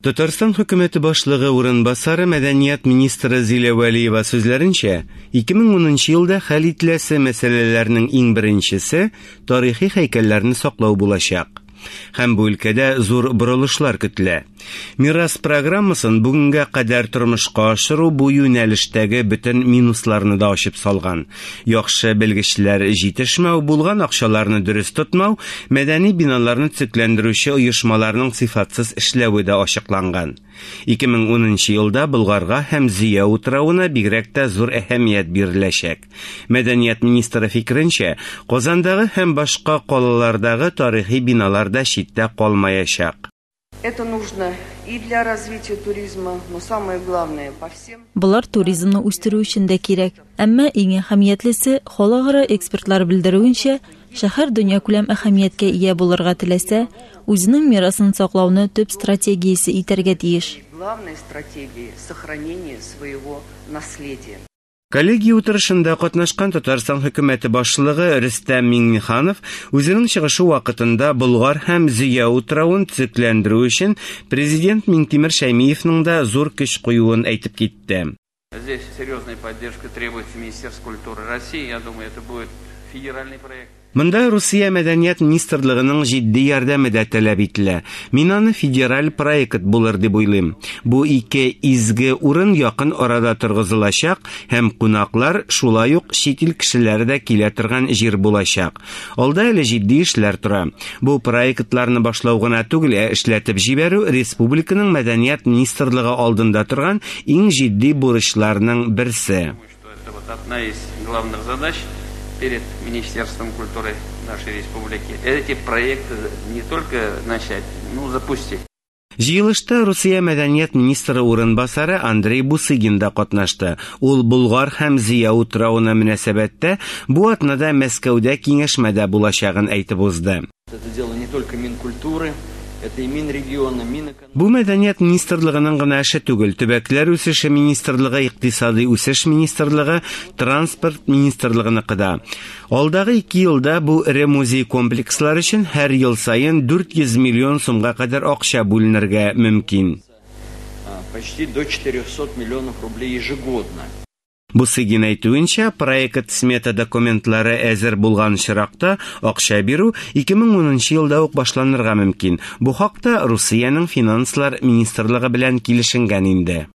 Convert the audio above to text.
Татарстан хөкүмәте башлыгы урынбасары, мәдәният министры Зилә Вәлиева сүзләренчә, 2010 елда хәл ителәсе мәсьәләләрнең иң беренчесе тарихи һәйкәлләрне саклау булачак. Һәм бу өлкәдә зур борылышлар көтелә. Мирас программасын бүгенгә кадәр тормышка ашыру бу юнәлештәге бөтен минусларны да ачып салган. Яхшы белгечләр җитешмәү, булган акчаларны дөрес тотмау, мәдәни биналарны төзекләндерүче оешмаларның сыйфатсыз эшләве дә ачыкланган. 2010 елда Болгарга һәм Зөя утравына бигрәк тә зур әһәмият биреләчәк. Мәдәният министры фикеренчә, Казандагы һәм башка калалардагы тарихи биналар да читтә калмаячак. Это нужно и для развития туризма, но самое главное, по всем. Болар туризмны үстерү өчен дә кирәк. Әмма иң әһәмиятлесе, халыкара экспертлар белдерүенчә, шәһәр дөньякүләм әһәмияткә ия булырга теләсә, үзенең мирасын саклауны төп стратегиясе итәргә тиеш. Главной стратегией сохранение своего наследия. Коллегия утырышында катнашкан Татарстан хөкүмәте башлыгы Рөстәм Миңнеханов үзенең чыгышы вакытында Болгар һәм Зөя утравын төзекләндерү өчен президент Миңтимер Шәймиевның да зур көч куюын әйтеп китте. Здесь серьезная поддержка требуется Министерства культуры России. Я думаю, это будет федеральный проект. Монда Русия мәдәният министрлыгының җитди ярдәме дә таләп ителә. Мин аны федераль проект булыр дип уйлыйм. Бу ике изге урын якын арада торгызылачак һәм кунаклар, шулай ук чит ил кешеләре дә килә торган җир булачак. Алда әле җитди эшләр тора. Бу проектларны башлау гына түгел, ә эшләтеп җибәрү республиканың мәдәният министрлыгы алдында торган иң җитди бурычларның берсе. Что это вот одна из главных задач перед Министерством культуры нашей республики. Эти проекты не только начать, но запустить. Җыелышта Русия мәдәният министры урынбасары Андрей Бусыгин да катнашты. Ул Болгар һәм Зөя утравына мөнәсәбәттә бу атнада Мәскәүдә киңәшмәдә булачагын әйтеп узды. Это дело не только Минкультуры, это и Минрегиона, Минэкономики. Бу мәдәният министрлыгының гына эше түгел, төбәкләр үсеше министрлыгы, икътисадый үсеш министрлыгы, транспорт министрлыгыныкы да. Алдагы ике елда бу эре музей комплекслар өчен һәр ел саен 400 миллион сумга кадәр акча бүленергә мөмкин. Почти до 400 миллионов рублей ежегодно. Бусыгин әйтүенчә, проект-смета документлары әзер булган очракта, акча бирү 2010 елда ук башланырга мөмкин. Бу хакта Русиянең финанслар министрлыгы белән килешенгән инде.